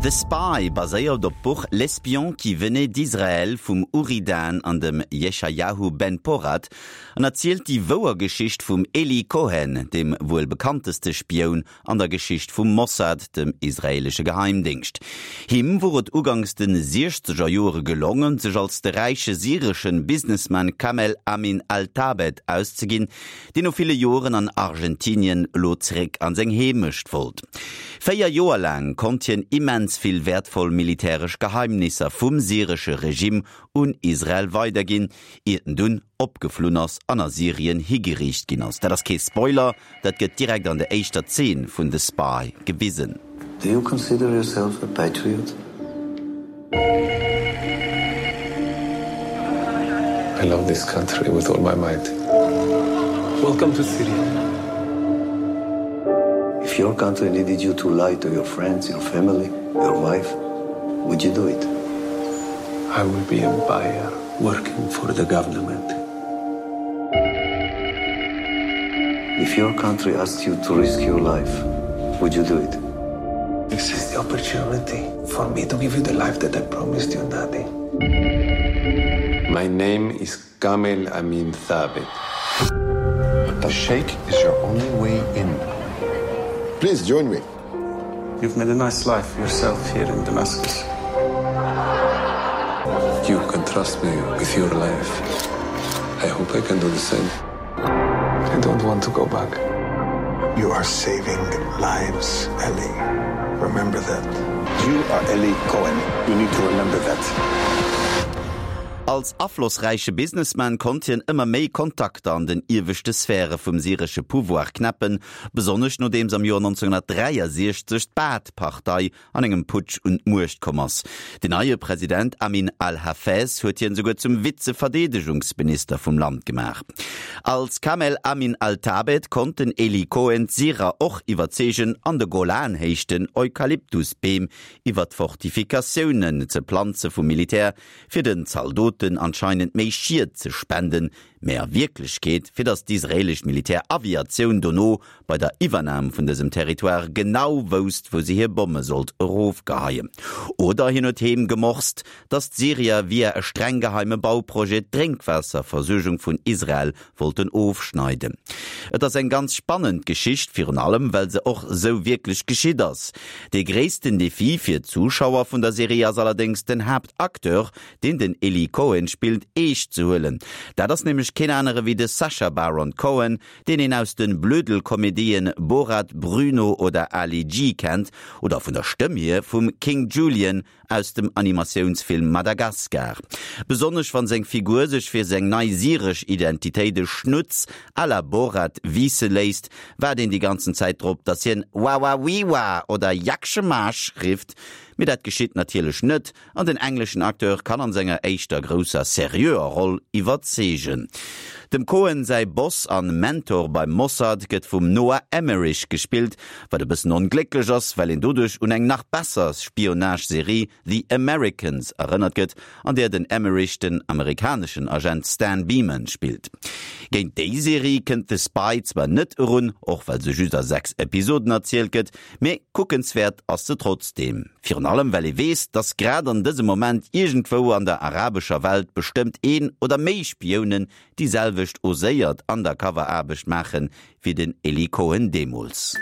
The Spy baséiert op d'Buch L'espion qui venait d'Israël vum Uri Dan an dem Yeshayahu Ben Porat an erzielt déi wouer Geschicht vum Eli Cohen, dem wuel bekannteste Spioun an der Geschicht vum Mossad, dem israeelesche Geheimdéngscht. Him wor et uganks de siechzeger Joere gelongen, sech als de räiche syreschen Businessman Kamel Amin al-Thabet auszeginn, deen no ville Joeren an Argentinien elo zeréck an seng Heemecht wollt. 4 Joer laang konnt hien immens vill wäertvoll militäresch Geheimnisser vum syresche Regime un Israel weiderginn, iert en dunn opgeflunn ass an a Syrien higeriicht ginn ass. Dat ass kee Spoiler, dat gëtt direkt an der éischter Zeen vun The Spy gewisen. Do you consider yourself a patriot? I love this country with all my might. Welcome to Syria. If your country needed you to lie to your friends, your family, your wife, would you do it? I will be a buyer working for the government. If your country asked you to risk your life, would you do it? This is the opportunity for me to give you the life that I promised you, Daddy. My name is Kamel Amin Thabit. The Sheikh is your only way in. Please join me. You've made a nice life for yourself here in Damascus. You can trust me with your life. I hope I can do the same. I don't want to go back. You are saving lives, Ellie. Remember that. You are Ellie Cohen. You need to remember that. Als aflossräiche Businessman konnt hien ëmmer méi Kontakter an den ieweschte Sphäre vum syresche Pouvoir knäppen, besonnesch nodeems am Joer 1963 d'Baath-Partei an engem Putsch un d'Muecht komm ass. Den neie President Amin al-Hafez huet hien esouguer zum Vize-Verdeedegungsminister vum Land gemaach. Als Kamel Amin al-Thabet konnt den Eli Cohen d'Syrer och iwwerzeegen, an de Golanhéichten Eukalyptusbeem iwwer d'Fortifikatiounen ze planze vum Militär, fir den Zaldoten anscheinend méi Schied ze spenden, mä a Wierklechkeet fir datt d'israelesch Militäraviatioun dono bei der Iwwernam vun dësem Territoire genau wousst, wou se hir Bomme sollt erofgeheien. Oder hien huet heem gemorst, datt d'Syrier via e streng geheime Bauprojet d'Drénkwaasserversuergung vun Israel wollten ofschneiden. Et ass eng ganz spannend Geschicht, virun allem well se och sou wierklech geschitt ass. Dee gréissten Defi fir d'Zuschauer vun der Serie ass allerdéngs den Haaptacteur, deen den Eli Cohen spillt, eescht ze huelen. Dat ass nämlech keen anere wéi de Sacha Baron Cohen, deen een aus de Blödelkomedien Borat, Bruno oder Ali G kennt, oder vun der Stëmm hier vum King Julien aus dem Animatiounsfilm Madagascar. Besonnesch wann seng Figur sech fir seng nei syresch Identitéit e Schnutz à la Borat wiisse léisst, waart een déi ganzen Zäit drop, dass hien Wawawiwa oder Jakschemasch rifft, mee dat geschitt natierlech net An den engleschen Acteur kann an senger éischter grousser seriöer Roll iwwerzeegen. Dem Cohen säi Boss an Mentor beim Mossad gëtt vum Noah Emmerich gespillt, wat e bëssen onglécklech ass, well een doduerch un eng nach besser Spionage-Serie The Americans erënnert gëtt, an där den Emmerich den amerikaneschen Agent Stan Beeman spillt. Géint déi Serie kënnt The Spy zwar net erun, och well se just a 6 Episoden erzielt gëtt, Mee kuckenswäert ass se trotzdeem. Virun allem well ee weess, dass grad an dësem Moment iergendwou an der arabescher Welt bestëmmt een oder méi Spiounen déi selwecht oséiert Undercover-Aarbecht maachen, wéi den Eli Cohen deemools.